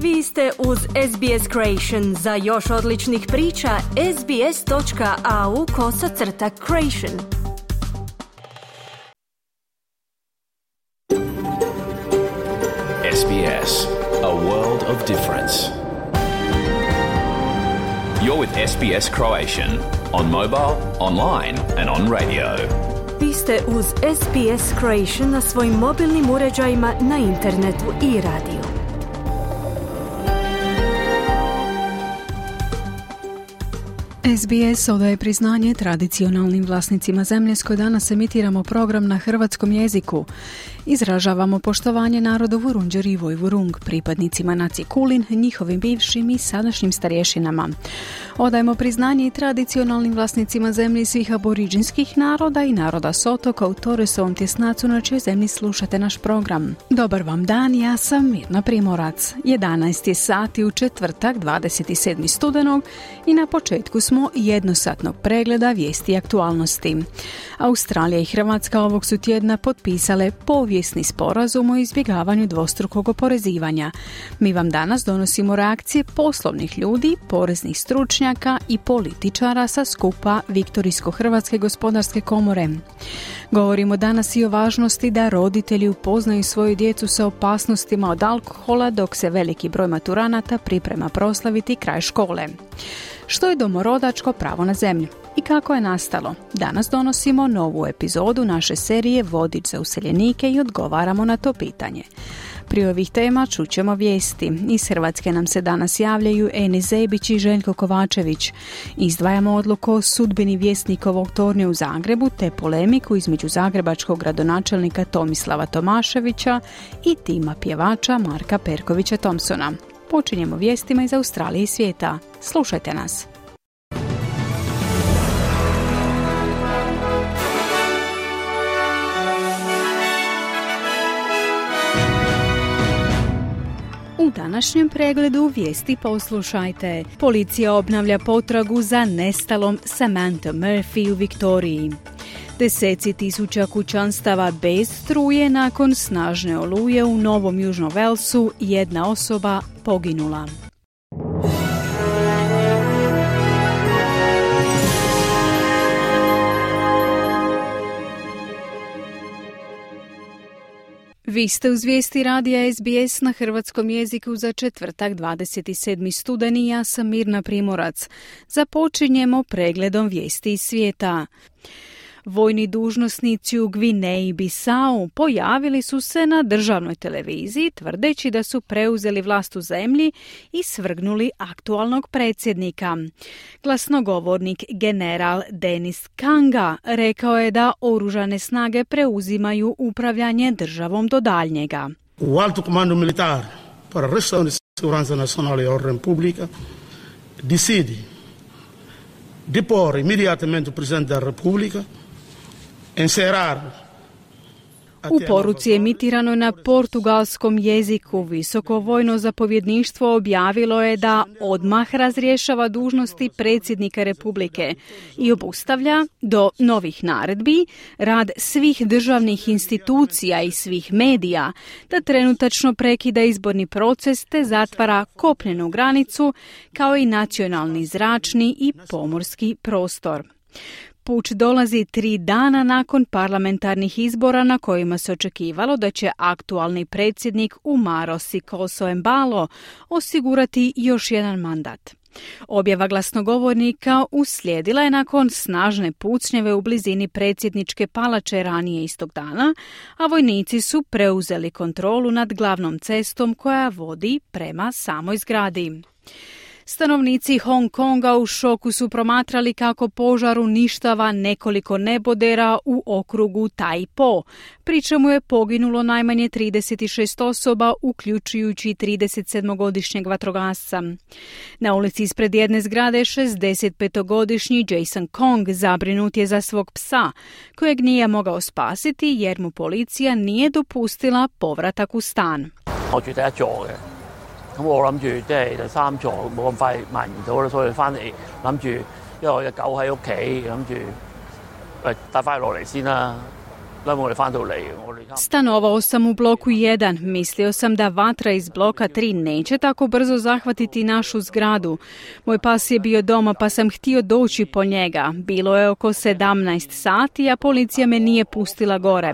Vi ste uz SBS Creation. Za još odličnih priča, sbs.au/creation. SBS, a world of difference. You're with SBS Croatian on mobile, online and on radio. Vi ste uz SBS Creation na svojim mobilnim uređajima, na internetu i radiju. SBS odaje priznanje tradicionalnim vlasnicima zemlje s koje danas emitiramo program na hrvatskom jeziku. Izražavamo poštovanje narodu Vurundjeri i Vojvurung, pripadnicima nacije Kulin, njihovim bivšim i sadašnjim starješinama. Odajemo priznanje i tradicionalnim vlasnicima zemlje svih aboriđinskih naroda i naroda s otoka u Torresovom tjesnacu na čijoj zemlji slušate naš program. Dobar vam dan, ja sam Mirna Primorac. 11 je sati u četvrtak, 27. studenog i na početku smo jednosatnog pregleda vijesti i aktualnosti. Australija i Hrvatska ovog su tjedna potpisale povijesni sporazum o izbjegavanju dvostrukog oporezivanja. Mi vam danas donosimo reakcije poslovnih ljudi, poreznih stručnjaka i političara sa skupa Viktorijsko-Hrvatske gospodarske komore. Govorimo danas i o važnosti da roditelji upoznaju svoju djecu sa opasnostima od alkohola dok se veliki broj maturanata priprema proslaviti kraj škole. Što je domorodačko pravo na zemlju i kako je nastalo? Danas donosimo novu epizodu naše serije Vodič za useljenike i odgovaramo na to pitanje. Prije ovih tema čućemo vijesti. Iz Hrvatske nam se danas javljaju Enis Zebić i Željko Kovačević. Izdvajamo odluku o sudbini Vjesnikovog tornja u Zagrebu te polemiku između zagrebačkog gradonačelnika Tomislava Tomaševića i tima pjevača Marka Perkovića Thompsona. Počinjemo vijestima iz Australije i svijeta. Slušajte nas. U današnjem pregledu vijesti poslušajte. Policija obnavlja potragu za nestalom Samantha Murphy u Viktoriji. Deseci tisuća kućanstava bez struje nakon snažne oluje u Novom Južnom Walesu, jedna osoba poginula. Vi ste uz vijesti radija SBS na hrvatskom jeziku za četvrtak 27. studeni, ja sam Mirna Primorac. Započinjemo pregledom vijesti iz svijeta. Vojni dužnosnici u Gvineji Bisau pojavili su se na državnoj televiziji tvrdeći da su preuzeli vlast u zemlji i svrgnuli aktualnog predsjednika. Glasnogovornik general Denis Kanga rekao je da oružane snage preuzimaju upravljanje državom do daljnjega. O alto comando militar para a restauração de segurança nacional e ordem pública decide depor imediatamente o presidente da República. U poruci emitiranoj na portugalskom jeziku visoko vojno zapovjedništvo objavilo je da odmah razrješava dužnosti predsjednika Republike i obustavlja do novih naredbi rad svih državnih institucija i svih medija, da trenutačno prekida izborni proces te zatvara kopnenu granicu kao i nacionalni zračni i pomorski prostor. Puč dolazi 3 dana nakon parlamentarnih izbora na kojima se očekivalo da će aktualni predsjednik Umaro Sikoso Embalo osigurati još jedan mandat. Objava glasnogovornika uslijedila je nakon snažne pucnjeve u blizini predsjedničke palače ranije istog dana, a vojnici su preuzeli kontrolu nad glavnom cestom koja vodi prema samoj zgradi. Stanovnici Hong Konga u šoku su promatrali kako požar uništava nekoliko nebodera u okrugu Tai Po, pri čemu je poginulo najmanje 36 osoba, uključujući 37-godišnjeg vatrogasca. Na ulici ispred jedne zgrade 65-godišnji Jason Kong zabrinut je za svog psa, kojeg nije mogao spasiti jer mu policija nije dopustila povratak u stan. 咁我諗住即係第3座冇咁快蔓延到啦，所以翻嚟諗住，因為我隻狗喺屋企，諗住帶翻佢落嚟先啦。Stanovao sam u bloku 1. Mislio sam da vatra iz bloka 3 neće tako brzo zahvatiti našu zgradu. Moj pas je bio doma pa sam htio doći po njega. Bilo je oko 17 sati, a policija me nije pustila gore.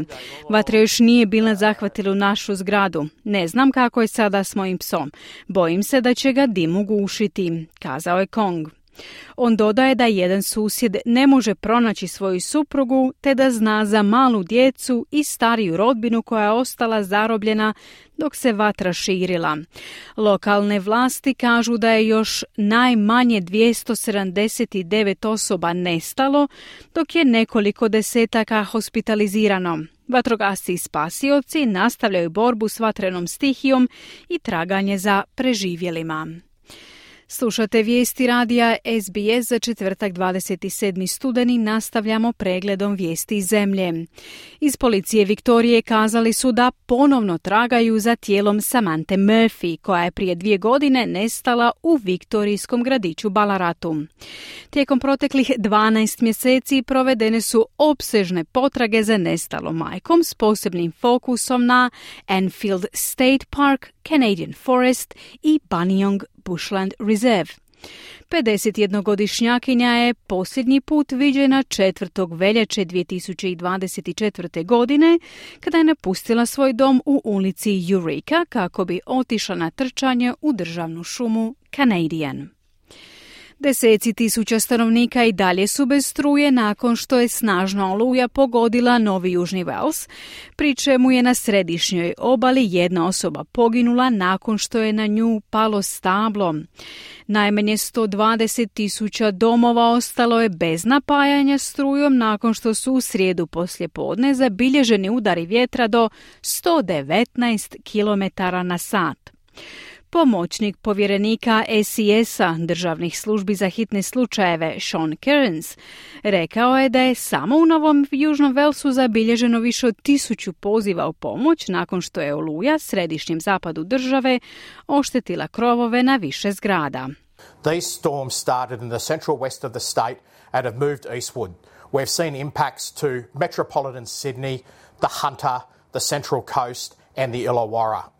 Vatra još nije bila zahvatila u našu zgradu. Ne znam kako je sada s mojim psom. Bojim se da će ga dim ugušiti, kazao je Kong. On dodaje da jedan susjed ne može pronaći svoju suprugu te da zna za malu djecu i stariju rodbinu koja je ostala zarobljena dok se vatra širila. Lokalne vlasti kažu da je još najmanje 279 osoba nestalo, dok je nekoliko desetaka hospitalizirano. Vatrogasci i spasioci nastavljaju borbu s vatrenom stihijom i traganje za preživjelima. Slušate vijesti radija SBS za četvrtak 27. studeni. Nastavljamo pregledom vijesti iz zemlje. Iz policije Viktorije kazali su da ponovno tragaju za tijelom Samanthe Murphy, koja je prije 2 godine nestala u viktorijskom gradiću Ballaratu. Tijekom proteklih 12 mjeseci provedene su opsežne potrage za nestalom majkom s posebnim fokusom na Enfield State Park, Canadian Forest i Buninyong Bushland Reserve. 51-godišnjakinja je posljednji put viđena 4. veljače 2024. godine kada je napustila svoj dom u ulici Eureka kako bi otišla na trčanje u državnu šumu Canadian. Deseci tisuća stanovnika i dalje su bez struje nakon što je snažna oluja pogodila Novi Južni Wales, pri čemu je na središnjoj obali jedna osoba poginula nakon što je na nju palo stablo. Najmanje 120.000 domova ostalo je bez napajanja strujom nakon što su u srijedu poslijepodne zabilježeni udari vjetra do 119 km/h. Pomoćnik povjerenika SES-a državnih službi za hitne slučajeve Sean Kearns rekao je da je samo u Novom Južnom Walesu zabilježeno više od 1000 poziva u pomoć nakon što je oluja središnjem zapadu države oštetila krovove na više zgrada. These storms started in the central west of the state and have moved eastward. We've seen impacts to metropolitan Sydney, the Hunter, the Central Coast and the Illawarra.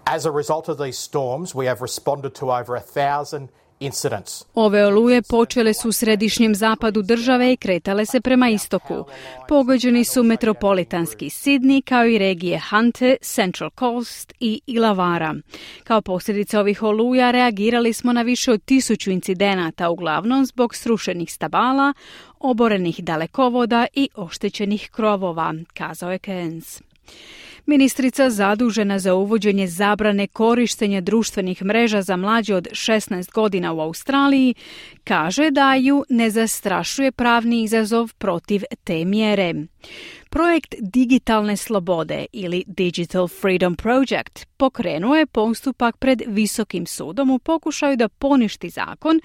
As a result of these storms, we have responded to over 1,000 incidents. Ove oluje počele su u središnjem zapadu države i kretale se prema istoku. Pogođeni su metropolitanski Sydney kao i regije Hunter, Central Coast i Illawarra. Kao posljedica ovih oluja reagirali smo na više od 1000 incidenata, uglavnom zbog srušenih stabala, oborenih dalekovoda i oštećenih krovova, kazao je Kearns. Ministrica zadužena za uvođenje zabrane korištenja društvenih mreža za mlađe od 16 godina u Australiji kaže da ju ne zastrašuje pravni izazov protiv te mjere. Projekt Digitalne slobode ili Digital Freedom Project pokrenuo je postupak pred Visokim sudom u pokušaju da poništi zakon,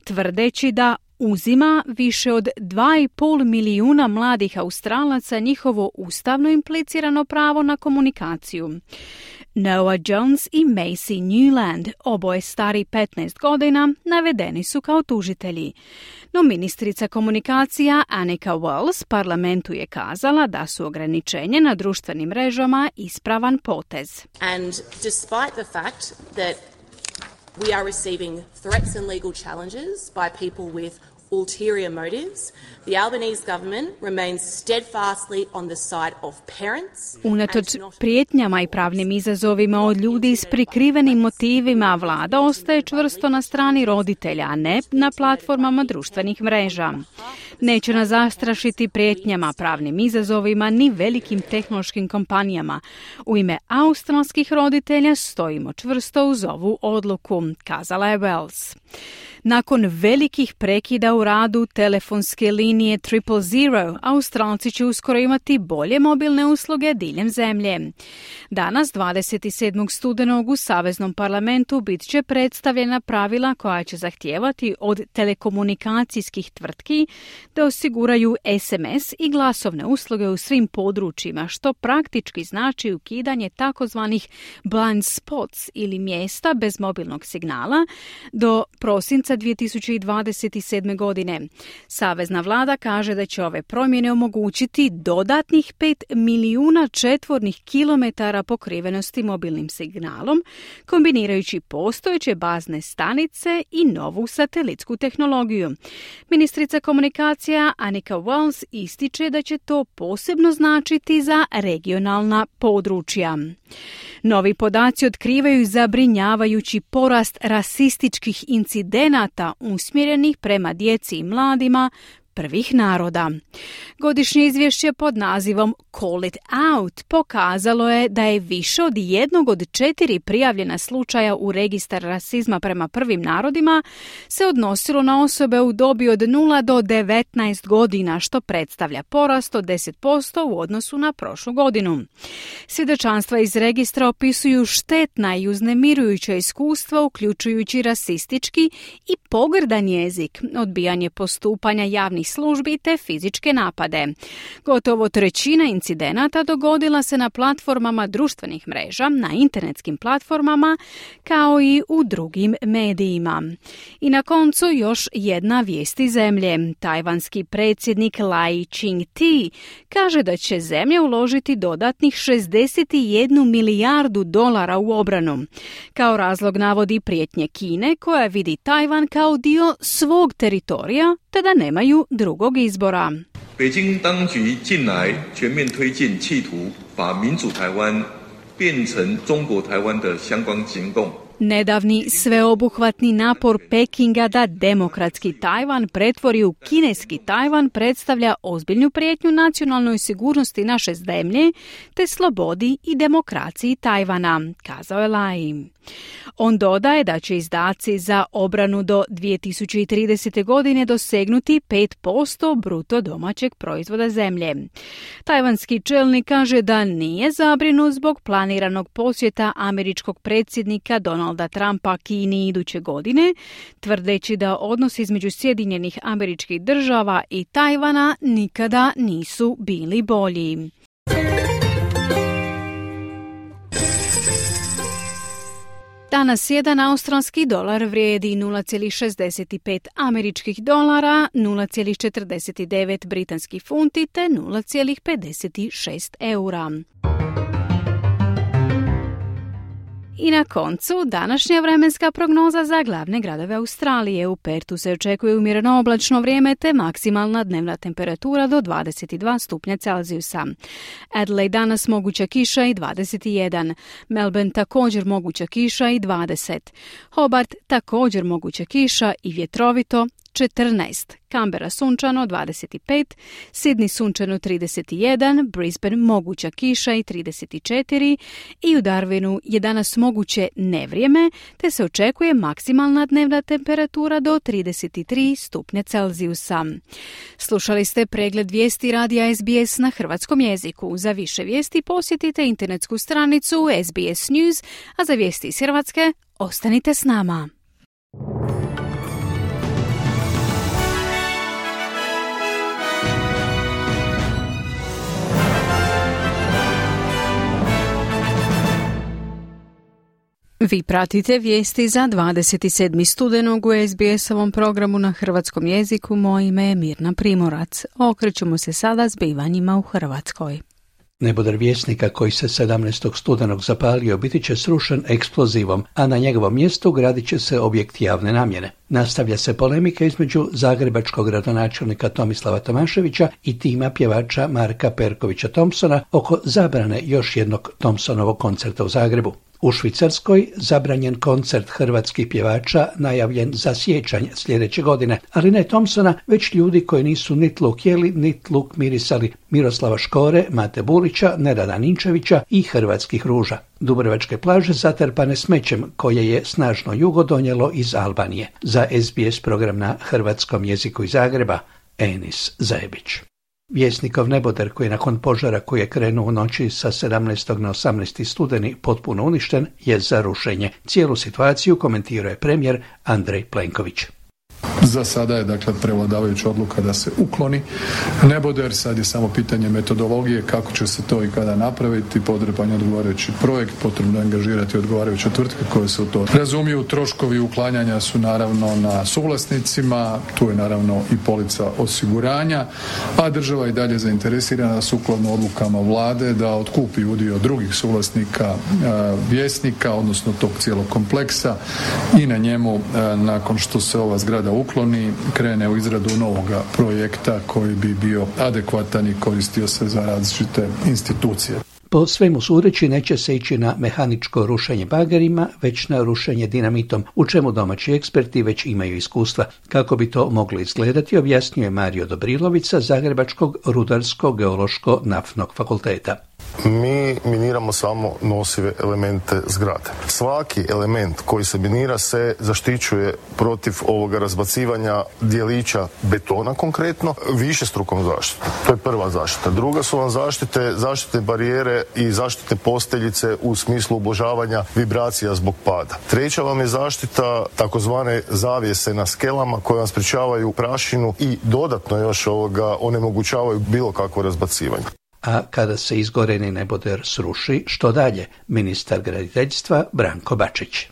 tvrdeći da uzima više od 2,5 milijuna mladih Australaca njihovo ustavno implicirano pravo na komunikaciju. Noah Jones i Macy Newland, oboje stari 15 godina, navedeni su kao tužitelji. No ministrica komunikacija Annika Wells parlamentu je kazala da su ograničenje na društvenim mrežama ispravan potez. And despite the fact that we are receiving threats and legal challenges by people with ulterior motives, the Albanese government remains steadfastly on the side of parents. Unatoč prijetnjama i pravnim izazovima od ljudi s prikrivenim motivima, vlada ostaje čvrsto na strani roditelja, a ne na platformama društvenih mreža. Neće nas zastrašiti prijetnjama, pravnim izazovima ni velikim tehnološkim kompanijama. U ime australskih roditelja stojimo čvrsto uz ovu odluku, kazala je Wells. Nakon velikih prekida u radu telefonske linije 000, Australci će uskoro imati bolje mobilne usluge diljem zemlje. Danas, 27. studenog, u Saveznom parlamentu bit će predstavljena pravila koja će zahtijevati od telekomunikacijskih tvrtki da osiguraju SMS i glasovne usluge u svim područjima, što praktički znači ukidanje takozvanih blind spots ili mjesta bez mobilnog signala do prosinca prosinca 2027. godine. Savezna vlada kaže da će ove promjene omogućiti dodatnih 5 milijuna četvornih kilometara pokrivenosti mobilnim signalom, kombinirajući postojeće bazne stanice i novu satelitsku tehnologiju. Ministrica komunikacija Annika Wells ističe da će to posebno značiti za regionalna područja. Novi podaci otkrivaju zabrinjavajući porast rasističkih incidenata usmjerenih prema djeci i mladima prvih naroda. Godišnje izvješće pod nazivom Call it Out pokazalo je da je više od 1 od 4 prijavljena slučaja u registar rasizma prema prvim narodima se odnosilo na osobe u dobi od 0 do 19 godina, što predstavlja porast od 10% u odnosu na prošlu godinu. Svjedočanstva iz registra opisuju štetna i uznemirujuća iskustva, uključujući rasistički i pogrdan jezik, odbijanje postupanja javnih službi te fizičke napade. Gotovo trećina incidenata dogodila se na platformama društvenih mreža, na internetskim platformama, kao i u drugim medijima. I na koncu još jedna vijest iz zemlje. Tajvanski predsjednik Lai Ching-te kaže da će zemlja uložiti dodatnih 61 milijardu dolara u obranu. Kao razlog navodi prijetnje Kine, koja vidi Tajvan kao dio svog teritorija, te da nemaju drugog izbora. 北京当局近来全面推进企图把民主台湾变成中国台湾的相关行动。 Nedavni sveobuhvatni napor Pekinga da demokratski Tajvan pretvori u kineski Tajvan predstavlja ozbiljnu prijetnju nacionalnoj sigurnosti naše zemlje te slobodi i demokraciji Tajvana, kazao je Lai. On dodaje da će izdaci za obranu do 2030. godine dosegnuti 5% bruto domaćeg proizvoda zemlje. Tajvanski čelnik kaže da nije zabrinut zbog planiranog posjeta američkog predsjednika Donalda Trumpa Kini iduće godine, tvrdeći da odnosi između Sjedinjenih Američkih Država i Tajvana nikada nisu bili bolji. Danas jedan australski dolar vrijedi 0,65 američkih dolara, 0,49 britanskih funti te 0,56 eura. I na koncu, današnja vremenska prognoza za glavne gradove Australije. U Pertu se očekuje umjereno oblačno vrijeme te maksimalna dnevna temperatura do 22 stupnja Celzijusa. Adelaide danas moguća kiša i 21. Melbourne također moguća kiša i 20. Hobart također moguća kiša i vjetrovito 14. Canberra sunčano 25, Sydney sunčano 31, Brisbane moguća kiša i 34 i u Darwinu je danas moguće nevrijeme, te se očekuje maksimalna dnevna temperatura do 33 stupnja Celzijusa. Slušali ste pregled vijesti radija SBS na hrvatskom jeziku. Za više vijesti posjetite internetsku stranicu SBS News, a za vijesti iz Hrvatske ostanite s nama. Vi pratite vijesti za 27. studenog u SBS-ovom programu na hrvatskom jeziku. Moje ime je Mirna Primorac. Okrećemo se sada zbivanjima u Hrvatskoj. Nebodar Vjesnika koji se 17. studenog zapalio biti će srušen eksplozivom, a na njegovom mjestu gradit će se objekt javne namjene. Nastavlja se polemika između zagrebačkog gradonačelnika Tomislava Tomaševića i tima pjevača Marka Perkovića Thompsona oko zabrane još jednog Thompsonovog koncerta u Zagrebu. U Švicarskoj zabranjen koncert hrvatskih pjevača najavljen za siječanj sljedeće godine, ali ne Thompsona, već ljudi koji nisu nit luk jeli, nit luk mirisali, Miroslava Škore, Mate Bulića, Nerada Ninčevića i hrvatskih ruža. Dubrovačke plaže zatrpane smećem koje je snažno jugo donijelo iz Albanije. Za SBS program na hrvatskom jeziku iz Zagreba, Enis Zajebić. Vjesnikov nebodar koji je nakon požara koji je krenuo u noći sa 17. na 18. studeni potpuno uništen je za rušenje. Cijelu situaciju komentirao je premijer Andrej Plenković. Za sada je dakle prevladavajuća odluka da se ukloni neboder, sad je samo pitanje metodologije kako će se to i kada napraviti, potreban je odgovarajući projekt, potrebno je angažirati odgovarajuće tvrtke koje se u to razumiju. Troškovi uklanjanja su naravno na suvlasnicima, tu je naravno i polica osiguranja, a država je i dalje zainteresirana sukladno odlukama vlade da otkupi udio drugih suvlasnika Vjesnika, odnosno tog cijelog kompleksa i na njemu nakon što se ova zgrada ukloni krene u izradu novoga projekta koji bi bio adekvatan i koristio se za različite institucije. Po svemu sudeći neće se ići na mehaničko rušenje bagerima, već na rušenje dinamitom, u čemu domaći eksperti već imaju iskustva. Kako bi to moglo izgledati, objasnio je Mario Dobrilović sa Zagrebačkog rudarsko-geološko-naftnog fakulteta. Mi miniramo samo nosive elemente zgrade. Svaki element koji se minira se zaštićuje protiv ovoga razbacivanja dijelića betona konkretno višestrukom zaštitom. To je prva zaštita. Druga su vam zaštite barijere i zaštitne posteljice u smislu ublažavanja vibracija zbog pada. Treća vam je zaštita takozvane zavjese na skelama koje vam sprečavaju prašinu i dodatno još onemogućavaju bilo kakvo razbacivanje. A kada se izgoreni neboder sruši, što dalje? Ministar graditeljstva Branko Bačić.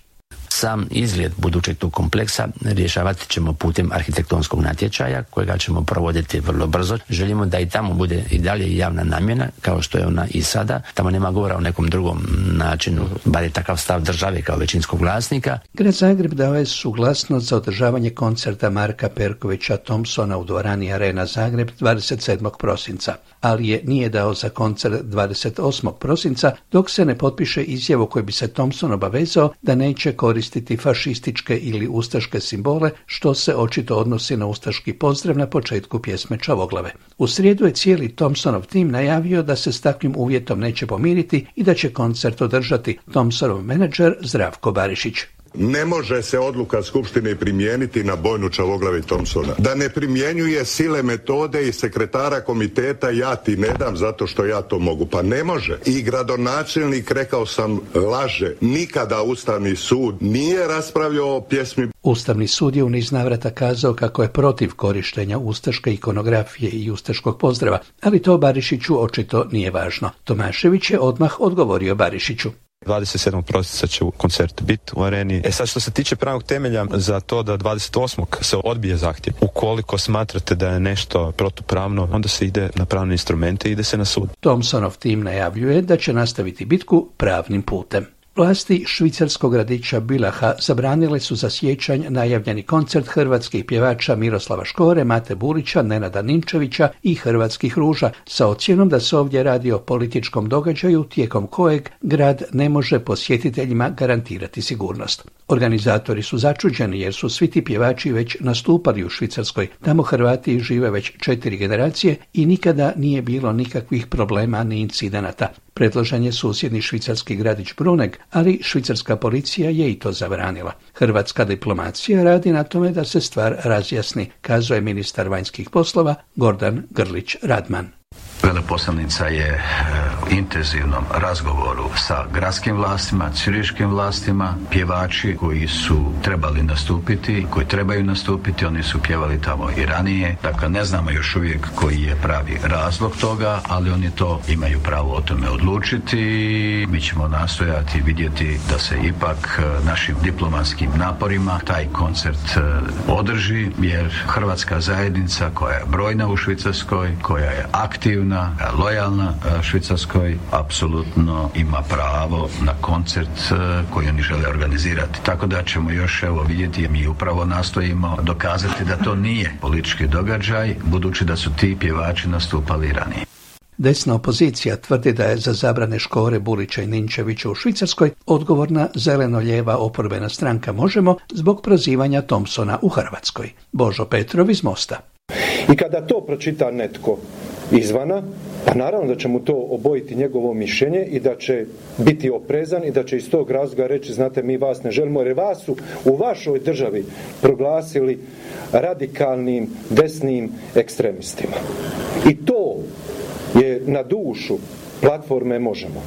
Sam izgled budućeg tog kompleksa rješavati ćemo putem arhitektonskog natječaja kojega ćemo provoditi vrlo brzo. Želimo da i tamo bude i dalje javna namjena kao što je ona i sada. Tamo nema govora o nekom drugom načinu, bar je takav stav države kao većinskog vlasnika. Grad Zagreb dao je suglasnost za održavanje koncerta Marka Perkovića Thompsona u dvorani Arena Zagreb 27. prosinca, ali je nije dao za koncert 28. prosinca dok se ne potpiše izjavu koji bi se Thompson obavezao da neće koristiti fašističke ili ustaške simbole, što se očito odnosi na ustaški pozdrav na početku pjesme Čavoglave. U srijedu je cijeli Thompsonov tim najavio da se s takvim uvjetom neće pomiriti i da će koncert održati Thompsonov menadžer Zdravko Barišić. Ne može se odluka Skupštine primijeniti na bojnu Čavoglavi Thompsona. Da ne primjenjuje sile, metode i sekretara komiteta ja ti ne dam zato što ja to mogu. Pa ne može. I gradonačelnik, rekao sam, laže. Nikada Ustavni sud nije raspravljao o pjesmi. Ustavni sud je u niz navrata kazao kako je protiv korištenja ustaške ikonografije i ustaškog pozdrava, ali to Barišiću očito nije važno. Tomašević je odmah odgovorio Barišiću. 27. prosinca će koncert biti u Areni. Sad što se tiče pravnog temelja za to da 28. se odbije zahtjev, ukoliko smatrate da je nešto protupravno, onda se ide na pravne instrumente i ide se na sud. Thompsonov tim najavljuje da će nastaviti bitku pravnim putem. Vlasti švicarskog gradića Bilaha zabranile su za siječanj najavljeni koncert hrvatskih pjevača Miroslava Škore, Mate Burića, Nenada Ninčevića i Hrvatskih ruža sa ocjenom da se ovdje radi o političkom događaju tijekom kojeg grad ne može posjetiteljima garantirati sigurnost. Organizatori su začuđeni jer su svi ti pjevači već nastupali u Švicarskoj. Tamo Hrvati žive već 4 generacije i nikada nije bilo nikakvih problema ni incidenata. Predložen je susjedni švicarski gradić Bruneg, ali švicarska policija je i to zabranila. Hrvatska diplomacija radi na tome da se stvar razjasni, kazuje ministar vanjskih poslova Gordan Grlić Radman. Veleposlanica je u intenzivnom razgovoru sa gradskim vlastima, ciriškim vlastima, pjevači koji su trebali nastupiti, koji trebaju nastupiti, oni su pjevali tamo i ranije. Dakle, ne znamo još uvijek koji je pravi razlog toga, ali oni to imaju pravo o tome odlučiti. Mi ćemo nastojati vidjeti da se ipak našim diplomatskim naporima taj koncert održi, jer hrvatska zajednica koja je brojna u Švicarskoj, koja je aktivna, lojalna Švicarskoj, apsolutno ima pravo na koncert koji oni žele organizirati. Tako da ćemo još vidjeti, mi upravo nastojimo dokazati da to nije politički događaj, budući da su ti pjevači nastupali ranije. Desna opozicija tvrdi da je za zabrane Škore, Burića i Ninčevića u Švicarskoj odgovorna zeleno-lijeva oporbena stranka Možemo zbog prozivanja Thompsona u Hrvatskoj. Božo Petrov iz Mosta. I kada to pročita netko izvana, pa naravno da će mu to obojiti njegovo mišljenje i da će biti oprezan i da će iz tog razloga reći, znate, mi vas ne želimo jer vas su u vašoj državi proglasili radikalnim desnim ekstremistima. I to je na dušu platforme Možemo.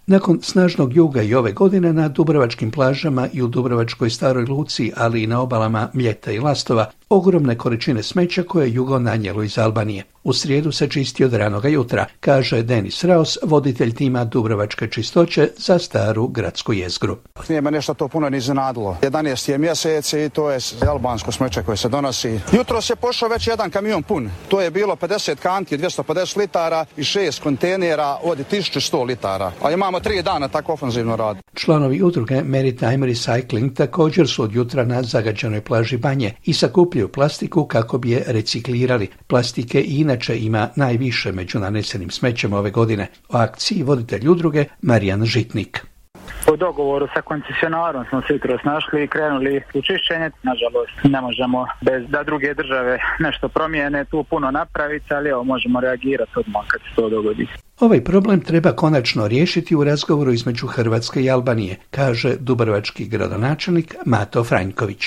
Nakon snažnog juga i ove godine na dubrovačkim plažama i u Dubrovačkoj Staroj Luci, ali i na obalama Mljeta i Lastova, ogromne količine smeća koje je jugo nanijelo iz Albanije. U srijedu se čisti od ranoga jutra, kaže Denis Raos, voditelj tima Dubrovačke čistoće za staru gradsku jezgru. Nije me nešto to puno ni iznenadilo. 11. je mjesec i to je albansko smeće koje se donosi. Jutros je pošao već jedan kamion pun. To je bilo 50 kanti, 250 litara i 6 kontejnera od 1100 litara. A imamo 3 dana tako ofenzivno rad. Članovi udruge Maritime Recycling također su od jutra na zagađenoj plaži Banje i sakupljaju plastiku kako bi je reciklirali. Plastike i inače ima najviše među nanesenim smećem ove godine. O akciji voditelj udruge Marijan Žitnik. U dogovoru sa koncesionarom smo se jutros našli i krenuli u čišćenje. Nažalost, ne možemo bez da druge države nešto promijene tu puno napraviti, ali evo možemo reagirati odmah kad se to dogodi. Ovaj problem treba konačno riješiti u razgovoru između Hrvatske i Albanije, kaže dubrovački gradonačelnik Mato Franjković.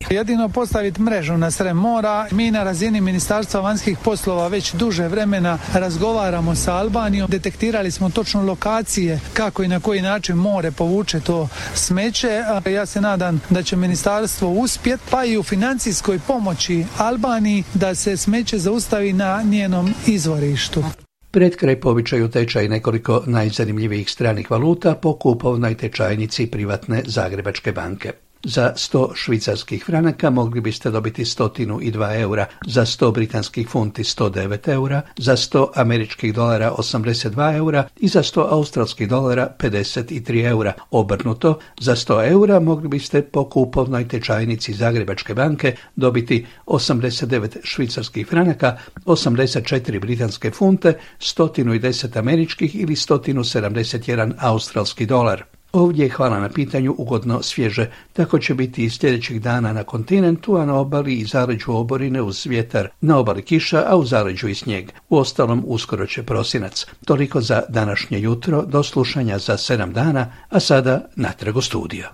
Jedino postaviti mrežu na sred mora. Mi na razini Ministarstva vanjskih poslova već duže vremena razgovaramo sa Albanijom. Detektirali smo točno lokacije kako i na koji način more povuče to smeće. Ja se nadam da će ministarstvo uspjeti, pa i u financijskoj pomoći Albaniji da se smeće zaustavi na njenom izvorištu. Pred kraj po običaju tečaj nekoliko najzanimljivijih stranih valuta po kupovnoj tečajnici privatne Zagrebačke banke. Za 100 švicarskih franaka mogli biste dobiti 102 eura, za 100 britanskih funti 109 eura, za 100 američkih dolara 82 eura i za 100 australskih dolara 53 eura. Obrnuto, za 100 eura mogli biste po kupovnoj tečajnici Zagrebačke banke dobiti 89 švicarskih franaka, 84 britanske funte, 110 američkih ili 171 australski dolar. Ovdje je, hvala na pitanju, ugodno svježe, tako će biti i sljedećih dana na kontinentu, a na obali i zaleđu oborine uz vjetar, na obali kiša, a u zaleđu i snijeg. Uostalom, uskoro će prosinac. Toliko za današnje jutro, do slušanja za 7 dana, a sada natrag u studio.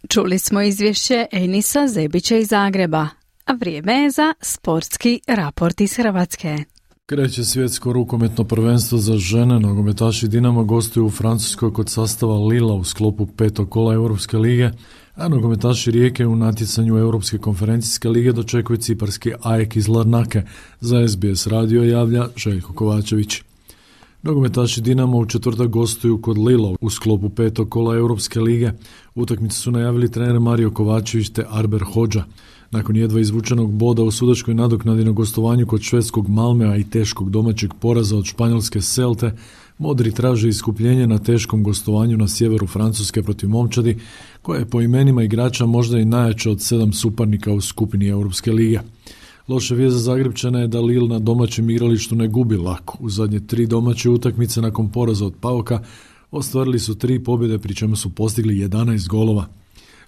Čuli smo izvješće Enisa Zebića iz Zagreba, a vrijeme je za sportski raport iz Hrvatske. Kreće svjetsko rukometno prvenstvo za žene. Nogometaši Dinama gostuju u Francuskoj kod sastava Lila u sklopu 5. kola Europske lige, a nogometaši Rijeke u natjecanju Europske konferencijske lige dočekuju ciparski AEK iz Larnake. Za SBS radio javlja Željko Kovačević. Nogometaši Dinama u četvrtak gostuju kod Lila u sklopu 5. kola Europske lige. Utakmicu su najavili trener Mario Kovačević te Arber Hodža. Nakon jedva izvučenog boda u sudačkoj nadoknadi na gostovanju kod švedskog Malmea i teškog domaćeg poraza od španjolske Celte, modri traže iskupljenje na teškom gostovanju na sjeveru Francuske protiv Momčadi, koja je po imenima igrača možda i najjača od 7 suparnika u skupini Europske lige. Loša vijest za Zagrepčane je da Lille na domaćem igralištu ne gubi lako. U zadnje 3 domaće utakmice nakon poraza od PAOK-a ostvarili su 3 pobjede, pri čemu su postigli 11 golova.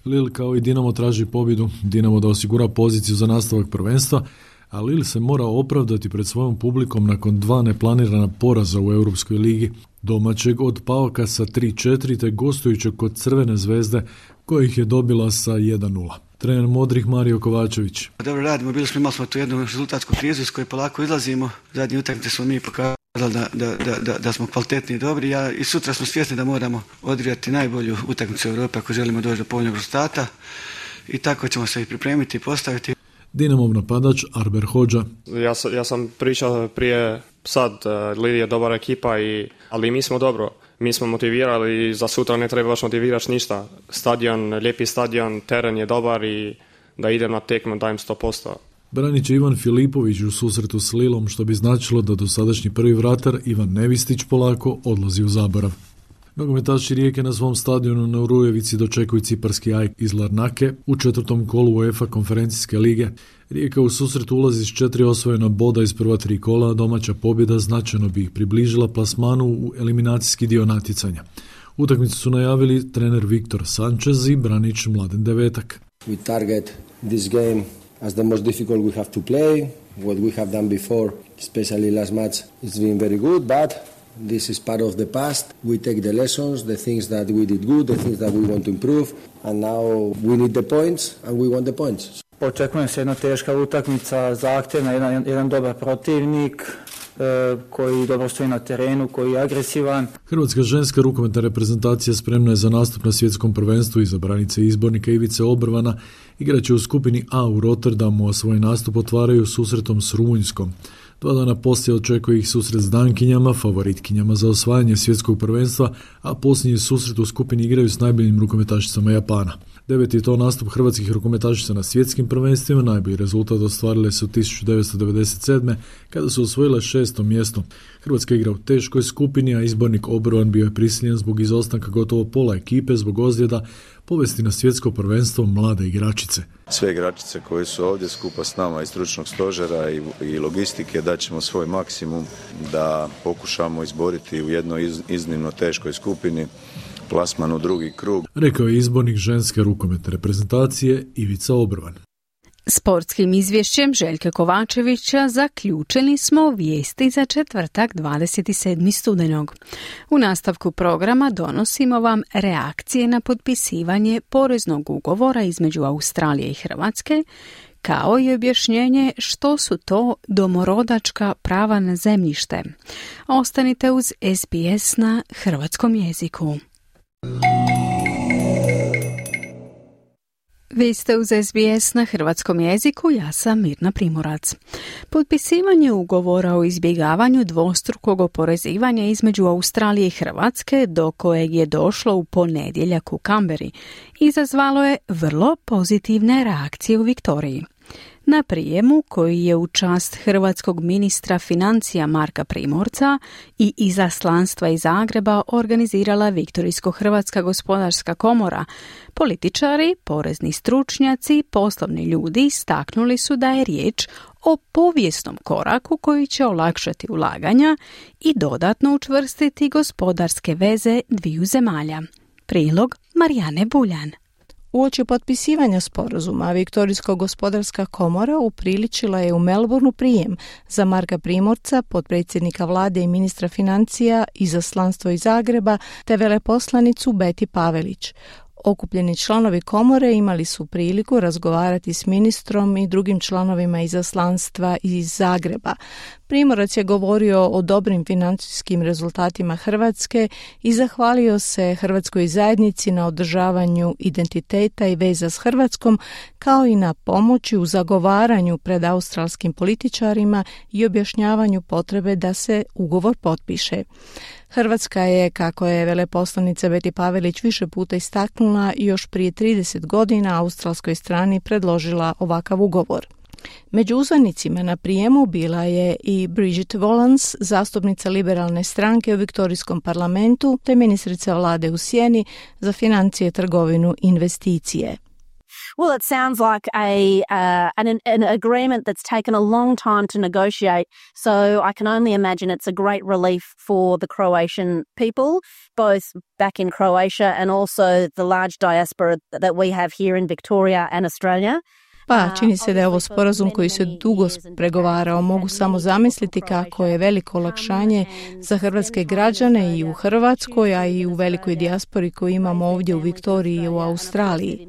Lille kao i Dinamo traži pobjedu, Dinamo da osigura poziciju za nastavak prvenstva, a Lille se mora opravdati pred svojom publikom nakon 2 neplanirana poraza u Europskoj ligi, domaćeg od PAOK-a sa 3-4 te gostujućeg kod Crvene zvezde kojih je dobila sa 1-0. Trener modrih Mario Kovačević. Dobro radimo, imali smo tu jednu rezultatsku krizu iz koje polako izlazimo. Zadnji utakmice smo mi pokazali da smo kvalitetni i dobri. I sutra smo svjesni da moramo odigrati najbolju utakmicu u Europi ako želimo doći do povoljnog rezultata. I tako ćemo se i pripremiti i postaviti. Dinamov napadač Arber Hodža. Ja sam pričao prije sad, Lille je dobra ekipa, ali mi smo dobro. Mi smo motivirali i za sutra ne treba baš motiviraš ništa. Stadion, lijepi stadion, teren je dobar i da idem na tekmu dajem 100%. Branit će Ivan Filipović u susretu s Lilom, što bi značilo da dosadašnji prvi vratar Ivan Nevistić polako odlazi u zaborav. Nogometaši Rijeke na svom stadionu na Urujevici dočekuju ciparski AEK iz Larnake u 4. kolu UEFA konferencijske lige. Rijeka u susret ulazi s 4 osvojena boda iz prva 3 kola, a domaća pobjeda značajno bi ih približila plasmanu u eliminacijski dio natjecanja. Utakmicu su najavili trener Viktor Sanchez i branič Mladen Devetak. We target this game as the most difficult we have to play. What we have done before, especially last match, it's been very good, but this is part of the past. We take the lessons, the things that we did good, the things that we want to improve, and now we need the points and we want the points. Očekujem se jedna teška utakmica, zahtjevna, jedan dobar protivnik. koji dobro stoji na terenu, koji je agresivan. Hrvatska ženska rukometna reprezentacija spremna je za nastup na svjetskom prvenstvu iza branice izbornika Ivice Obrvana. Igraće u skupini A u Rotterdamu, a svoj nastup otvaraju susretom s Rumunjskom. 2 dana poslije očekuje ih susret s Dankinjama, favoritkinjama za osvajanje svjetskog prvenstva, a posljednji susret u skupini igraju s najboljim rukometašicama Japana. 9. je to nastup hrvatskih rukometašica na svjetskim prvenstvima. Najbolji rezultat ostvarile su 1997. kada su osvojile 6. mjesto. Hrvatska igra u teškoj skupini, a izbornik Obrvan bio je prisiljen zbog izostanka gotovo pola ekipe zbog ozljeda povesti na svjetsko prvenstvo mlade igračice. Sve igračice koje su ovdje skupa s nama iz stručnog stožera i logistike daćemo svoj maksimum da pokušamo izboriti u jednoj iznimno teškoj skupini plasman u drugi krug. Rekao je izbornik ženske rukometne reprezentacije Ivica Obrvan. Sportskim izvješćem Željka Kovačevića zaključili smo vijesti za četvrtak 27. studenog. U nastavku programa donosimo vam reakcije na potpisivanje poreznog ugovora između Australije i Hrvatske, kao i objašnjenje što su to domorodačka prava na zemljište. Ostanite uz SBS na hrvatskom jeziku. Vi ste uz SBS na hrvatskom jeziku, ja sam Mirna Primorac. Potpisivanje ugovora o izbjegavanju dvostrukog oporezivanja između Australije i Hrvatske, do kojeg je došlo u ponedjeljak u Kamberi, izazvalo je vrlo pozitivne reakcije u Viktoriji. Na prijemu, koji je u čast hrvatskog ministra financija Marka Primorca i izaslanstva iz Zagreba organizirala Viktorijsko-hrvatska gospodarska komora, političari, porezni stručnjaci, poslovni ljudi istaknuli su da je riječ o povijesnom koraku koji će olakšati ulaganja i dodatno učvrstiti gospodarske veze dviju zemalja. Prilog Marijane Buljan. Uoči potpisivanja sporazuma, Viktorijsko-gospodarska komora upriličila je u Melbourneu prijem za Marka Primorca, potpredsjednika vlade i ministra financija, izaslanstvo iz Zagreba, te veleposlanicu Beti Pavelić. Okupljeni članovi komore imali su priliku razgovarati s ministrom i drugim članovima izaslanstva iz Zagreba. Primorac je govorio o dobrim financijskim rezultatima Hrvatske i zahvalio se Hrvatskoj zajednici na održavanju identiteta i veza s Hrvatskom, kao i na pomoći u zagovaranju pred australskim političarima i objašnjavanju potrebe da se ugovor potpiše. Hrvatska je, kako je veleposlanica Beti Pavelić više puta istaknula, još prije 30 godina australskoj strani predložila ovakav ugovor. Među uzvanicima na prijemu bila je i Bridget Valance, zastupnica liberalne stranke u Viktorijskom parlamentu, te ministrica vlade u sjeni za financije, trgovinu i investicije. Well, it sounds like an agreement that's taken a long time to negotiate, so I can only imagine it's a great relief for the Croatian people, both back in Croatia and also the large diaspora that we have here in Victoria and Australia. Pa, čini se da je ovo sporazum koji se dugo pregovarao. Mogu samo zamisliti kako je veliko olakšanje za hrvatske građane i u Hrvatskoj, a i u velikoj dijaspori koju imamo ovdje u Viktoriji i u Australiji.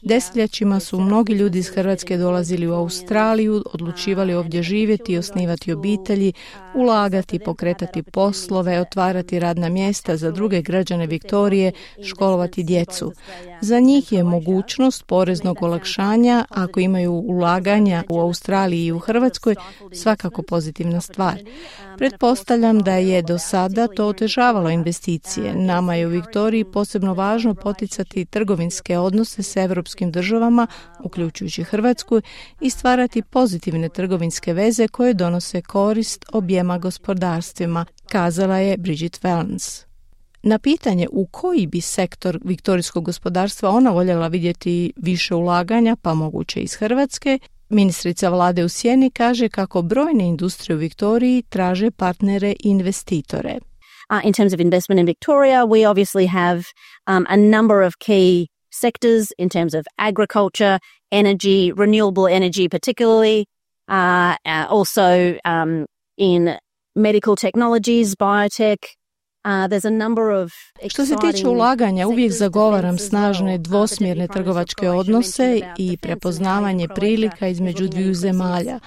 Desetljećima su mnogi ljudi iz Hrvatske dolazili u Australiju, odlučivali ovdje živjeti i osnivati obitelji, ulagati, pokretati poslove, otvarati radna mjesta za druge građane Viktorije, školovati djecu. Za njih je mogućnost poreznog olakšanja, ako imaju ulaganja u Australiji i u Hrvatskoj, svakako pozitivna stvar. Pretpostavljam da je do sada to otežavalo investicije. Nama je u Viktoriji posebno važno poticati trgovinske odnose s evropskim državama, uključujući Hrvatsku, i stvarati pozitivne trgovinske veze koje donose korist objema gospodarstvima, kazala je Bridget Valance. Na pitanje u koji bi sektor viktorijskog gospodarstva ona voljela vidjeti više ulaganja, pa moguće iz Hrvatske, ministrica vlade u sjeni kaže kako brojne industrije u Viktoriji traže partnere i investitore. In terms of investment in Victoria, we obviously have a number of key sectors in terms of agriculture, energy, renewable energy particularly, also in medical technologies, biotech, There's a number of Što se tiče ulaganja, uvijek zagovaram snažne dvosmjerne trgovačke odnose i prepoznavanje prilika između dviju zemalja,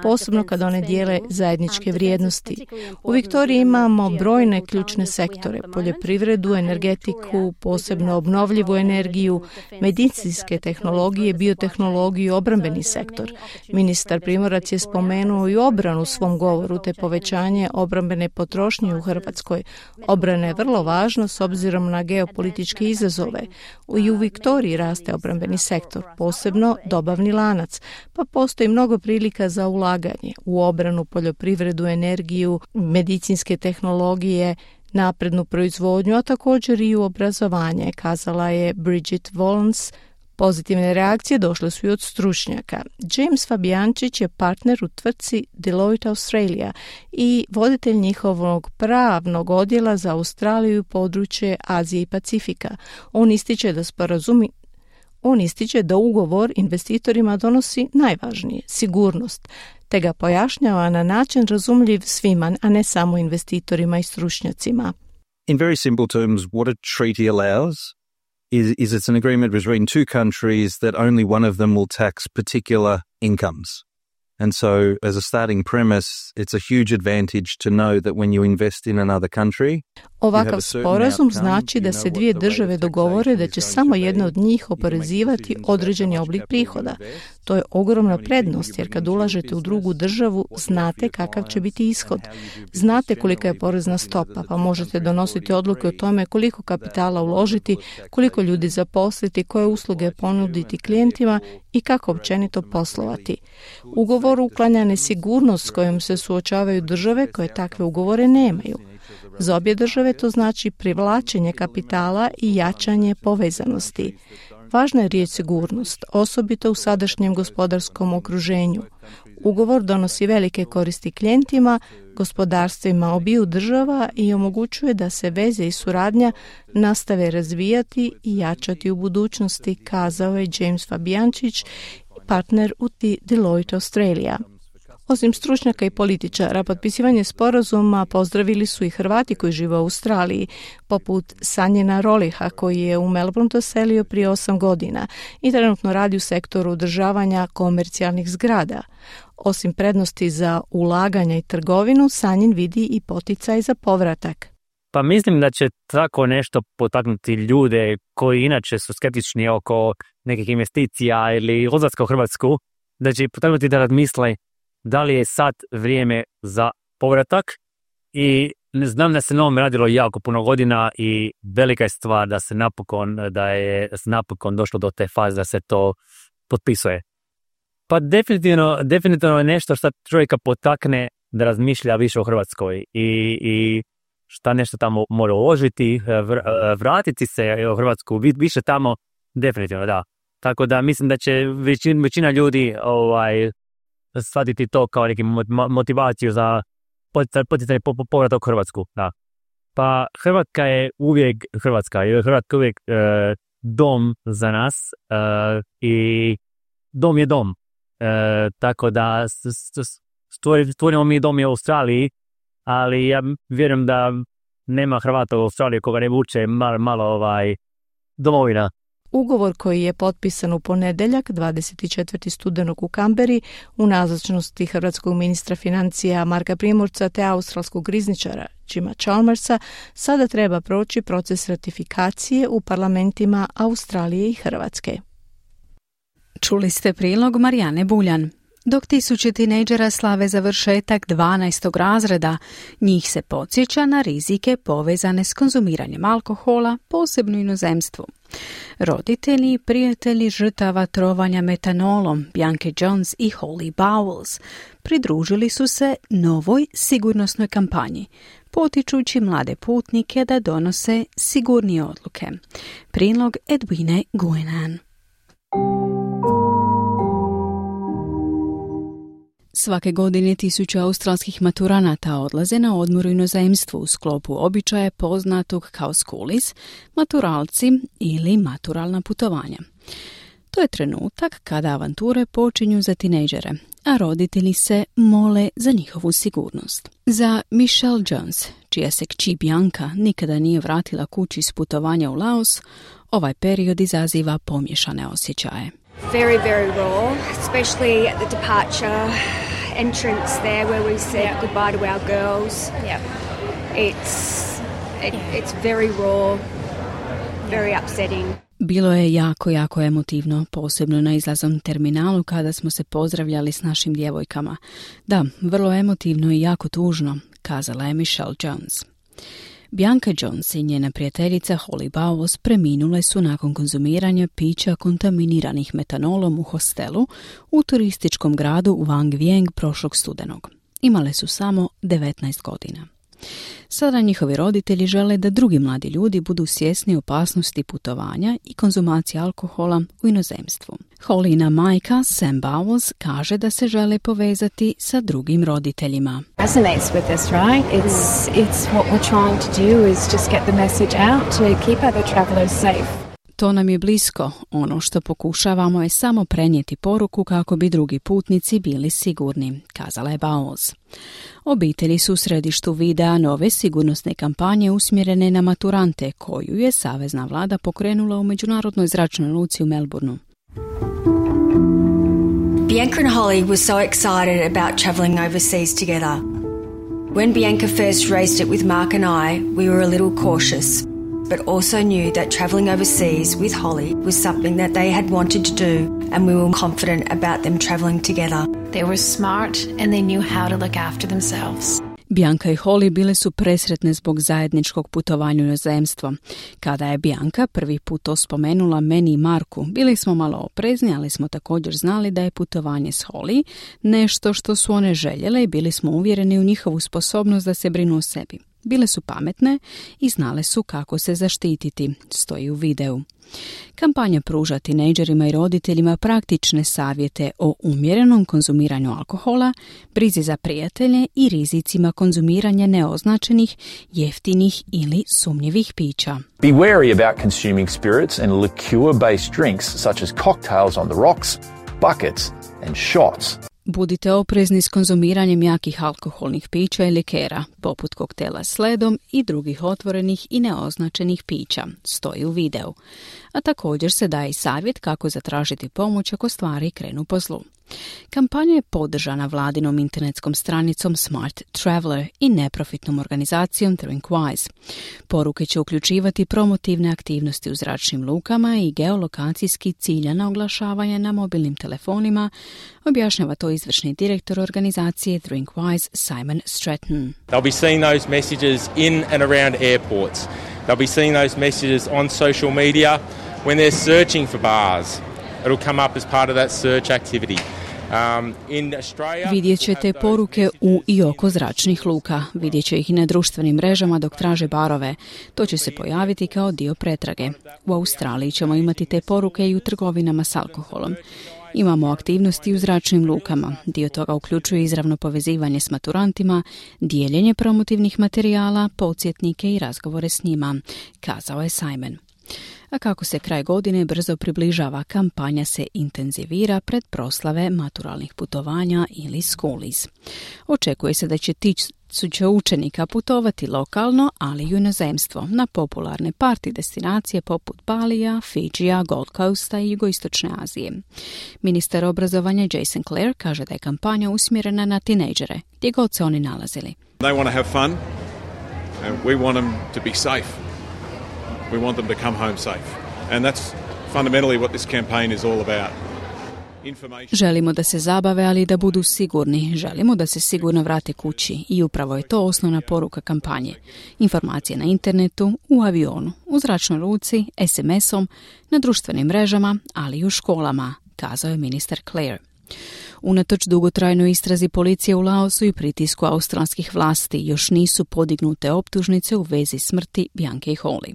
posebno kad one dijele zajedničke vrijednosti. U Viktoriji imamo brojne ključne sektore, poljoprivredu, energetiku, posebno obnovljivu energiju, medicinske tehnologije, biotehnologiju, obrambeni sektor. Ministar Primorac je spomenuo i obranu u svom govoru te povećanje obrambene potrošnje u Hrvatskoj. Obrana je vrlo važna s obzirom na geopolitičke izazove. I u Viktoriji raste obrambeni sektor, posebno dobavni lanac, pa postoji mnogo prilika za ulaganje u obranu, poljoprivredu, energiju, medicinske tehnologije, naprednu proizvodnju, a također i u obrazovanje, kazala je Bridget Volans. Pozitivne reakcije došle su i od stručnjaka. James Fabijančić je partner u tvrtci Deloitte Australia i voditelj njihovog pravnog odjela za Australiju i područje Azije i Pacifika. On ističe da ugovor investitorima donosi najvažnije, sigurnost, te ga pojašnjava na način razumljiv svima, a ne samo investitorima i stručnjacima. In very simple terms, what a treaty allows is it's an agreement between two countries that only one of them will tax particular incomes. And so, as a starting premise, it's a huge advantage to know that when you invest in another country, ovakav sporazum znači da se dvije države dogovore da će samo jedna od njih oporezivati određeni oblik prihoda. To je ogromna prednost jer kad ulažete u drugu državu znate kakav će biti ishod. Znate kolika je porezna stopa, pa možete donositi odluke o tome koliko kapitala uložiti, koliko ljudi zaposliti, koje usluge ponuditi klijentima i kako općenito poslovati. Ugovor uklanja nesigurnost s kojom se suočavaju države koje takve ugovore nemaju. Za obje države to znači privlačenje kapitala i jačanje povezanosti. Važna je riječ sigurnost, osobito u sadašnjem gospodarskom okruženju. Ugovor donosi velike koristi klijentima, gospodarstvima obiju država i omogućuje da se veze i suradnja nastave razvijati i jačati u budućnosti, kazao je James Fabijančić, partner u Deloitte Australia. Osim stručnjaka i političara, potpisivanje sporazuma pozdravili su i Hrvati koji žive u Australiji, poput Sanjina Roliha koji je u Melbourne doselio prije 8 godina i trenutno radi u sektoru održavanja komercijalnih zgrada. Osim prednosti za ulaganja i trgovinu, Sanjin vidi i poticaj za povratak. Pa mislim da će tako nešto potaknuti ljude koji inače su skeptični oko nekih investicija ili odlaska u Hrvatsku, da će potaknuti da razmisle da li je sad vrijeme za povratak. I znam da se na ovom radilo jako puno godina i velika je stvar da je napokon došlo do te faze da se to potpisuje. Pa definitivno je nešto što čovjeka potakne da razmišlja više o Hrvatskoj i šta nešto tamo mora uložiti, vratiti se u Hrvatsku, više tamo, definitivno da. Tako da mislim da će većina ljudi shvatiti to kao neki motivaciju za poticanje povratak u Hrvatsku. Da. Pa Hrvatska je uvijek dom za nas i dom je dom. Tako da stvorimo mi dom u Australiji, ali ja vjerujem da nema Hrvata u Australiji koga ne vuče malo domovina. Ugovor koji je potpisan u ponedjeljak 24. studenog u Kamberi u nazočnosti hrvatskog ministra financija Marka Primorca te australskog rizničara Jima Chalmersa sada treba proći proces ratifikacije u parlamentima Australije i Hrvatske. Čuli ste prilog Marijane Buljan. Dok tisuće tinejdžera slave završetak 12. razreda, njih se podsjeća na rizike povezane s konzumiranjem alkohola, posebno u inozemstvu. Roditelji i prijatelji žrtava trovanja metanolom, Bianca Jones i Holly Bowles, pridružili su se novoj sigurnosnoj kampanji, potičući mlade putnike da donose sigurnije odluke. Prilog Edwine Guinan. Svake godine tisuće australskih maturanata odlaze na odmor u inozemstvu u sklopu običaja poznatog kao schoolies, maturalci ili maturalna putovanja. To je trenutak kada avanture počinju za tinejdžere, a roditelji se mole za njihovu sigurnost. Za Michelle Jones, čija se kći Bianca nikada nije vratila kući s putovanja u Laos, ovaj period izaziva pomiješane osjećaje. Very, very raw, especially at the departure entrance there where we said goodbye to our girls. It's very raw, very upsetting. Bilo je jako emotivno, posebno na izlaznom terminalu kada smo se pozdravljali s našim djevojkama. Da, vrlo emotivno i jako tužno, kazala je Michelle Jones. Bianca Jones i njena prijateljica Holly Bowles preminule su nakon konzumiranja pića kontaminiranih metanolom u hostelu u turističkom gradu Vang Vieng prošlog studenog. Imale su samo 19 godina. Sada njihovi roditelji žele da drugi mladi ljudi budu svjesni opasnosti putovanja i konzumacije alkohola u inozemstvu. Hollina majka Sam Bowles kaže da se žele povezati sa drugim roditeljima. Resonates with us, right? It's what we're trying to do is just get the message out to keep other travelers safe. To nam je blisko. Ono što pokušavamo je samo prenijeti poruku kako bi drugi putnici bili sigurni, kazala je Bowles. Obitelji su u središtu videa nove sigurnosne kampanje usmjerene na maturante, koju je savezna vlada pokrenula u međunarodnoj zračnoj luci u Melbourneu. Bianca and Holly were so excited about travelling overseas together. When Bianca first raised it with Mark and I, we were a little cautious, but also knew that travelling overseas with Holly was something that they had wanted to do, and we were confident about them travelling together. They were smart and they knew how to look after themselves. Bianca i Holly bile su presretne zbog zajedničkog putovanja u inozemstvo. Kada je Bianca prvi put to spomenula meni i Marku, bili smo malo oprezni, ali smo također znali da je putovanje s Holly nešto što su one željele i bili smo uvjereni u njihovu sposobnost da se brinu o sebi. Bile su pametne i znale su kako se zaštititi, stoji u videu. Kampanja pruža tinejdžerima i roditeljima praktične savjete o umjerenom konzumiranju alkohola, brizi za prijatelje i rizicima konzumiranja neoznačenih, jeftinih ili sumnjivih pića. Be wary about consuming spirits and liqueur-based drinks such as cocktails on the rocks, buckets and shots. Budite oprezni s konzumiranjem jakih alkoholnih pića i likera, poput koktela s ledom i drugih otvorenih i neoznačenih pića, stoji u videu. A također se daje i savjet kako zatražiti pomoć ako stvari krenu po zlu. Kampanja je podržana vladinom internetskom stranicom Smart Traveler i neprofitnom organizacijom Drinkwise. Poruke će uključivati promotivne aktivnosti u zračnim lukama i geolokacijski ciljana oglašavanja na mobilnim telefonima, objašnjava to izvršni direktor organizacije Drinkwise Simon Stratton. They'll be seeing those messages in and around airports. They'll be seeing those messages on social media when they're searching for bars. It'll come up as part of that search activity. Vidjet ćete poruke u i oko zračnih luka. Vidjet će ih i na društvenim mrežama dok traže barove. To će se pojaviti kao dio pretrage. U Australiji ćemo imati te poruke i u trgovinama s alkoholom. Imamo aktivnosti u zračnim lukama. Dio toga uključuje izravno povezivanje s maturantima, dijeljenje promotivnih materijala, podsjetnike i razgovore s njima, kazao je Simon. A kako se kraj godine brzo približava, kampanja se intenzivira pred proslave maturalnih putovanja ili schoolies. Očekuje se da će tisuće učenika putovati lokalno, ali i u inozemstvo, na popularne party destinacije poput Balija, Fidžija, Gold Coasta i jugoistočne Azije. Ministar obrazovanja Jason Clare kaže da je kampanja usmjerena na tinejdžere, gdje god se oni nalazili. They want to have fun and we want them to be safe. We want them to come home safe. And that's fundamentally what this campaign is all about. Želimo da se zabave, ali i da budu sigurni. Želimo da se sigurno vrate kući i upravo je to osnovna poruka kampanje. Informacije na internetu, u avionu, u zračnoj luci, SMS-om, na društvenim mrežama, ali i u školama, kazao je ministar Clare. Unatoč dugotrajnoj istrazi policije u Laosu i pritisku australskih vlasti još nisu podignute optužnice u vezi smrti Bianke i Holly.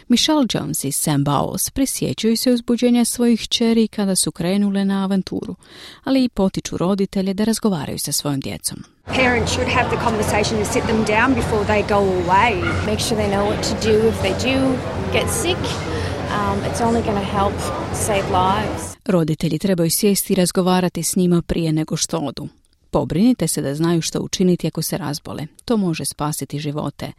Michelle Jones i Sam Bowles prisjećaju se uzbuđenja svojih kćeri kada su krenule na avanturu, ali i potiču roditelje da razgovaraju sa svojom djecom. Parents should have the conversation to sit them down before they go away. Make sure they know what to do if they do get sick. it's only going to help save lives. Roditelji trebaju sjesti i razgovarati s njima prije nego što odu. Pobrinite se da znaju što učiniti ako se razbole. To može spasiti živote.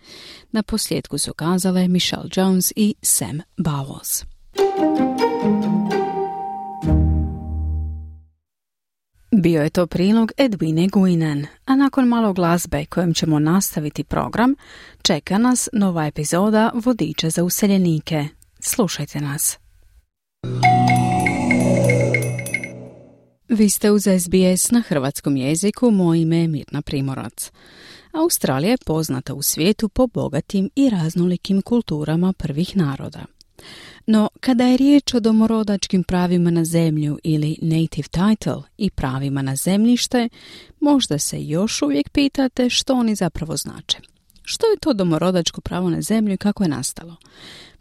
Na posljedku su kazale Michelle Jones i Sam Bowles. Bio je to prilog Edwine Guinan, a nakon malo glazbe kojom ćemo nastaviti program, čeka nas nova epizoda Vodiča za useljenike. Slušajte nas. Vi ste uz SBS na hrvatskom jeziku, moje ime je Mirna Primorac. Australija je poznata u svijetu po bogatim i raznolikim kulturama prvih naroda. No, kada je riječ o domorodačkim pravima na zemlju ili native title i pravima na zemljište, možda se još uvijek pitate što oni zapravo znače. Što je to domorodačko pravo na zemlju i kako je nastalo?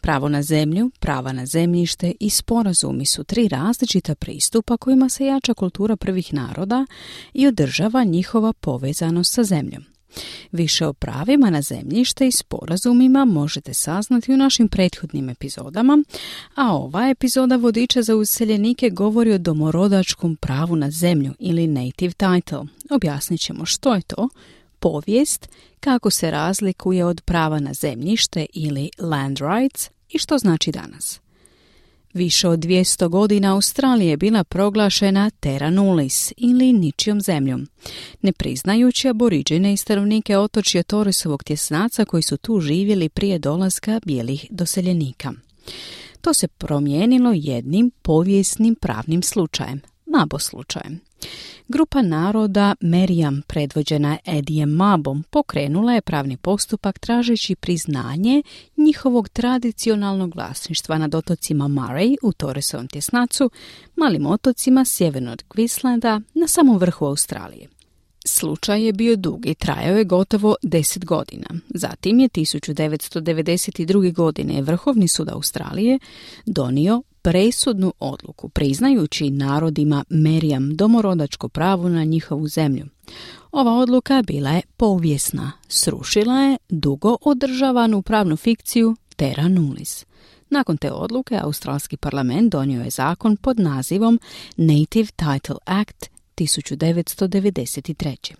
Pravo na zemlju, prava na zemljište i sporazumi su 3 različita pristupa kojima se jača kultura prvih naroda i održava njihova povezanost sa zemljom. Više o pravima na zemljište i sporazumima možete saznati u našim prethodnim epizodama, a ova epizoda Vodiča za useljenike govori o domorodačkom pravu na zemlju ili native title. Objasnit ćemo što je to, povijest, kako se razlikuje od prava na zemljište ili land rights i što znači danas. Više od 200 godina Australija je bila proglašena terra nullius ili ničijom zemljom, ne priznajući aboriđene i stanovnike otočja Torresovog tjesnaca koji su tu živjeli prije dolaska bijelih doseljenika. To se promijenilo jednim povijesnim pravnim slučajem, Mabo slučajem. Grupa naroda Meriam, predvođena Edijem Mabom, pokrenula je pravni postupak tražeći priznanje njihovog tradicionalnog vlasništva nad otocima Murray u Torresovom tjesnacu, malim otocima sjeverno od Queenslanda na samom vrhu Australije. Slučaj je bio dug i trajao je gotovo 10 godina. Zatim je 1992. godine Vrhovni sud Australije donio presudnu odluku, priznajući narodima Meriam domorodačko pravo na njihovu zemlju. Ova odluka bila je povijesna, srušila je dugo održavanu pravnu fikciju terra nullius. Nakon te odluke, australski parlament donio je zakon pod nazivom Native Title Act 1993.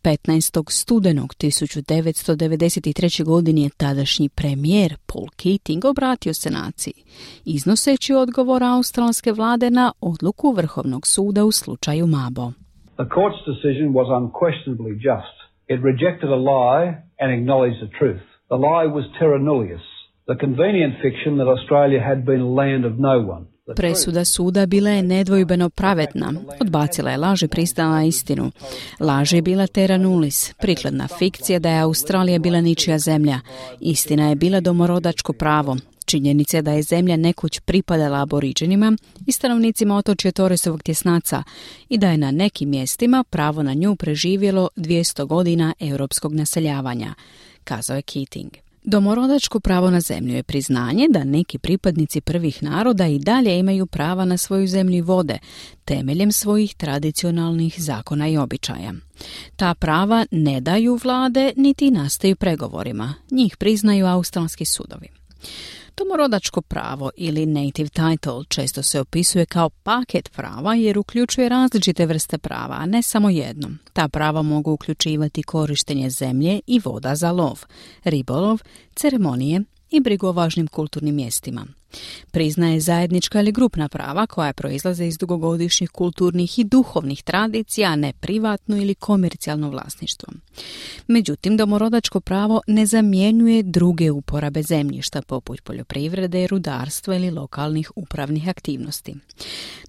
15. studenog 1993. godine je tadašnji premijer Paul Keating obratio se naciji, iznoseći odgovor australske vlade na odluku Vrhovnog suda u slučaju Mabo. The court's decision was unquestionably just. It rejected a lie and acknowledged the truth. The lie was terra nullius, the convenient fiction that Australia had been a land of no one. Presuda suda bila je nedvojbeno pravedna. Odbacila je laž i pristala na istinu. Laž je bila terra nullius, prikladna fikcija da je Australija bila ničija zemlja. Istina je bila domorodačko pravo. Činjenica je da je zemlja nekoć pripadala aboriđenima i stanovnicima otočja Torresovog tjesnaca i da je na nekim mjestima pravo na nju preživjelo 200 godina europskog naseljavanja, kazao je Keating. Domorodačko pravo na zemlju je priznanje da neki pripadnici prvih naroda i dalje imaju prava na svoju zemlju i vode, temeljem svojih tradicionalnih zakona i običaja. Ta prava ne daju vlade niti nastaju pregovorima, njih priznaju australski sudovi. Domorodačko pravo ili native title često se opisuje kao paket prava jer uključuje različite vrste prava, a ne samo jedno. Ta prava mogu uključivati korištenje zemlje i voda za lov, ribolov, ceremonije i brigu o važnim kulturnim mjestima. Priznaje zajednička ili grupna prava koja proizlaze iz dugogodišnjih kulturnih i duhovnih tradicija, a ne privatno ili komercijalno vlasništvo. Međutim, domorodačko pravo ne zamjenjuje druge uporabe zemljišta poput poljoprivrede, rudarstva ili lokalnih upravnih aktivnosti.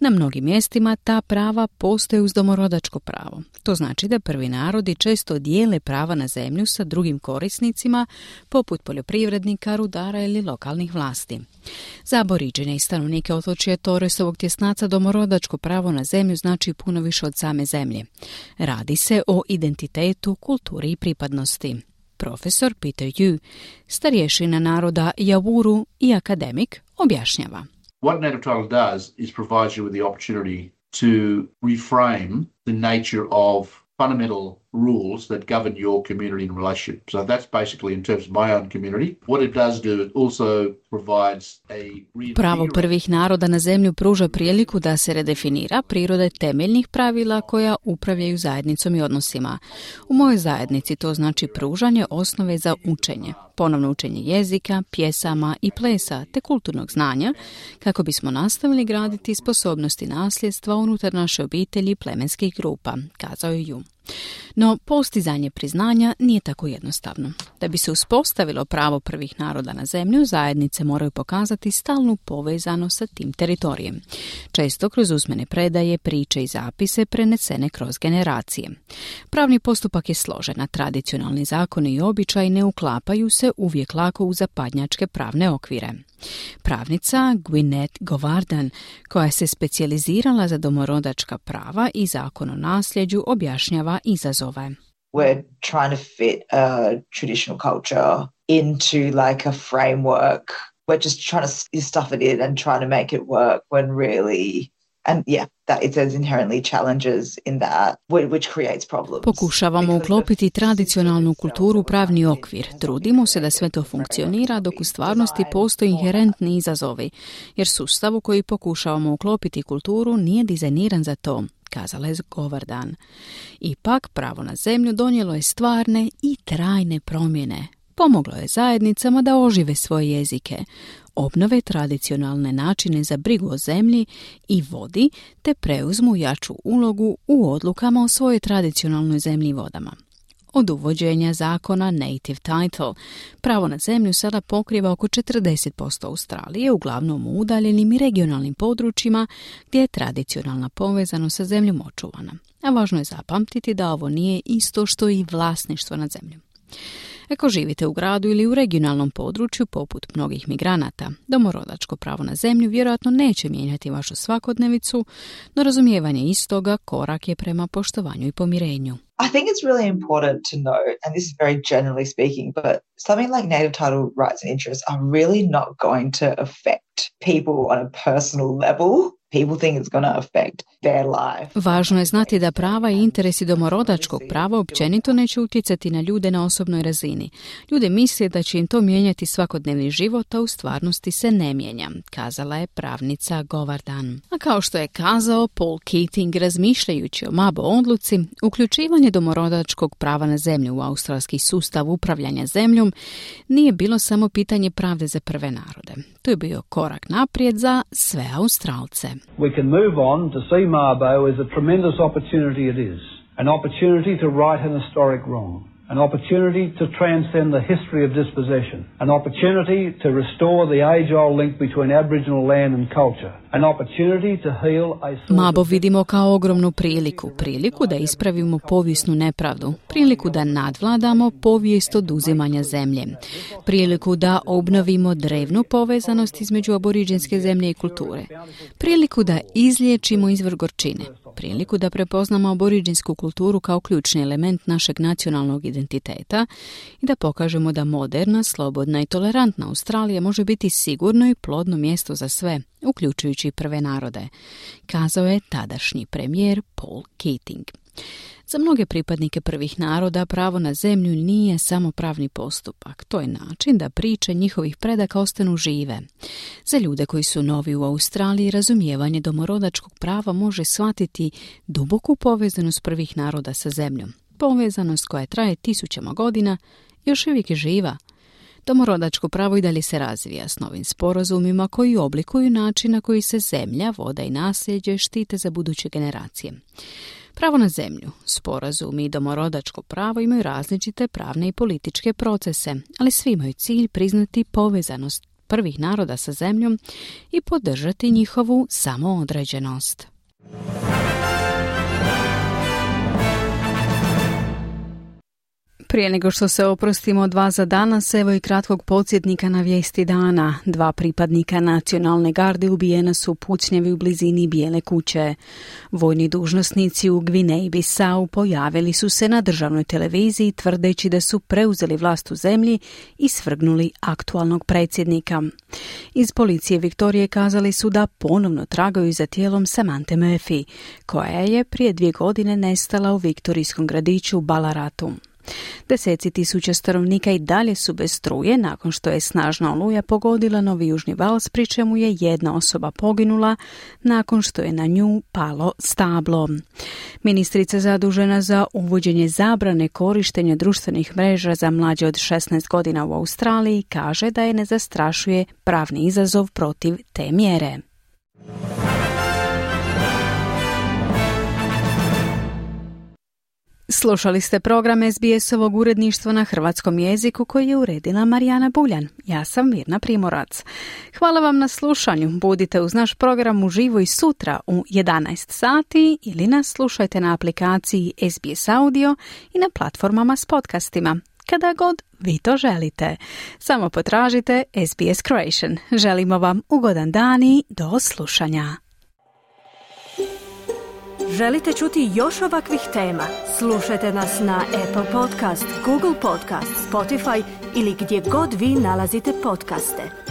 Na mnogim mjestima ta prava postoje uz domorodačko pravo. To znači da prvi narodi često dijele prava na zemlju sa drugim korisnicima poput poljoprivrednika, rudara ili lokalnih vlasti. Za aboriđene i stanovnike otočja Torresovog tjesnaca domorodačko pravo na zemlju znači puno više od same zemlje. Radi se o identitetu, kulturi i pripadnosti. Profesor Peter Yu, starješina naroda Yawuru i akademik, objašnjava. What native title does is provides you with the opportunity to reframe the nature of fundamental rules that govern your community and relationship. So that's basically in terms of my own community. What it does do, it also provides a... Pravo prvih naroda na zemlju pruža priliku da se redefinira prirode temeljnih pravila koja upravljaju zajednicom i odnosima. U mojoj zajednici to znači pružanje osnove za učenje, ponovno učenje jezika, pjesama i plesa te kulturnog znanja kako bismo nastavili graditi sposobnosti nasljedstva unutar naše obitelji i plemenskih grupa, kazao je Yu. No, postizanje priznanja nije tako jednostavno. Da bi se uspostavilo pravo prvih naroda na zemlju, zajednice moraju pokazati stalnu povezanost sa tim teritorijem. Često kroz usmene predaje, priče i zapise prenesene kroz generacije. Pravni postupak je složen, a tradicionalni zakoni i običaji ne uklapaju se uvijek lako u zapadnjačke pravne okvire. Pravnica Gwyneth Govardan, koja se specijalizirala za domorodačka prava i zakon o nasljeđu, objašnjava izazove. We're trying to fit a traditional culture into like a framework. We're just trying to stuff it in and trying to make it work when really... And yeah, that there's inherently challenges in that, which creates problems. Pokušavamo uklopiti tradicionalnu kulturu u pravni okvir. Trudimo se da sve to funkcionira, dok u stvarnosti postoji inherentni izazovi, jer sustav u koji pokušavamo uklopiti kulturu nije dizajniran za to, kazala je Govardan. Ipak, pravo na zemlju donijelo je stvarne i trajne promjene. Pomoglo je zajednicama da ožive svoje jezike, obnove tradicionalne načine za brigu o zemlji i vodi, te preuzmu jaču ulogu u odlukama o svojoj tradicionalnoj zemlji i vodama. Od uvođenja zakona Native Title, pravo na zemlju sada pokriva oko 40% Australije, uglavnom u udaljenim i regionalnim područjima gdje je tradicionalna povezanost sa zemljom očuvana. A važno je zapamtiti da ovo nije isto što i vlasništvo nad zemljom. Ako živite u gradu ili u regionalnom području, poput mnogih migranata, domorodačko pravo na zemlju vjerojatno neće mijenjati vašu svakodnevicu, no razumijevanje istoga korak je prema poštovanju i pomirenju. I think it's really important to note, and this is very generally speaking, but something like native title rights and interests are really not going to affect people on a personal level. People think it's going to affect their life. Važno je znati da prava i interesi domorodačkog prava općenito neće utjecati na ljude na osobnoj razini. Ljude misle da će im to mijenjati svakodnevni život, a u stvarnosti se ne mijenja, kazala je pravnica Govardan. A kao što je kazao Paul Keating, razmišljajući o Mabo odluci, uključivanje domorodačkog prava na zemlju u australski sustav upravljanja zemljom nije bilo samo pitanje pravde za prve narode. To je bio korak naprijed za sve Australce. We can move on to see Mabo as a tremendous opportunity it is. An opportunity to right an historic wrong. An opportunity to transcend the history of dispossession. An opportunity to restore the age-old link between Aboriginal land and culture. An opportunity to heal a... Mabo vidimo kao ogromnu priliku da ispravimo povijesnu nepravdu, priliku da nadvladamo povijest oduzimanja zemlje, priliku da obnovimo drevnu povezanost između aboriđinske zemlje i kulture, priliku da izliječimo izvor gorčine, priliku da prepoznamo aboriđinsku kulturu kao ključni element našeg nacionalnog identiteta i da pokažemo da moderna, slobodna i tolerantna Australija može biti sigurno i plodno mjesto za sve, uključujući prve narode, kazao je tadašnji premijer Paul Keating. Za mnoge pripadnike prvih naroda pravo na zemlju nije samo pravni postupak, to je način da priče njihovih predaka ostanu žive. Za ljude koji su novi u Australiji, razumijevanje domorodačkog prava može shvatiti duboku povezanost prvih naroda sa zemljom. Povezanost koja traje tisućama godina još uvijek je živa. Domorodačko pravo i dalje se razvija s novim sporazumima koji oblikuju način na koji se zemlja, voda i nasljeđe štite za buduće generacije. Pravo na zemlju, sporazumi i domorodačko pravo imaju različite pravne i političke procese, ali svi imaju cilj priznati povezanost prvih naroda sa zemljom i podržati njihovu samoodređenost. Prije nego što se oprostimo od vas za danas, evo i kratkog podsjetnika na vijesti dana. 2 pripadnika nacionalne garde ubijena su u pucnjavi u blizini Bijele kuće. Vojni dužnosnici u Gvineji Bisau pojavili su se na državnoj televiziji tvrdeći da su preuzeli vlast u zemlji i svrgnuli aktualnog predsjednika. Iz policije Viktorije kazali su da ponovno tragaju za tijelom Samanthe Murphy, koja je prije 2 godine nestala u viktorijskom gradiću Balaratu. Deseci tisuća stanovnika i dalje su bez struje nakon što je snažna oluja pogodila Novi Južni Vals, pri čemu je 1 osoba poginula nakon što je na nju palo stablo. Ministrica zadužena za uvođenje zabrane korištenja društvenih mreža za mlađe od 16 godina u Australiji kaže da je ne zastrašuje pravni izazov protiv te mjere. Slušali ste program SBS-ovog uredništva na hrvatskom jeziku koji je uredila Marijana Buljan. Ja sam Mirna Primorac. Hvala vam na slušanju. Budite uz naš program uživo i sutra u 11 sati ili nas slušajte na aplikaciji SBS Audio i na platformama s podcastima. Kada god vi to želite. Samo potražite SBS Croatian. Želimo vam ugodan dan i do slušanja. Želite čuti još ovakvih tema? Slušajte nas na Apple Podcast, Google Podcast, Spotify ili gdje god vi nalazite podcaste.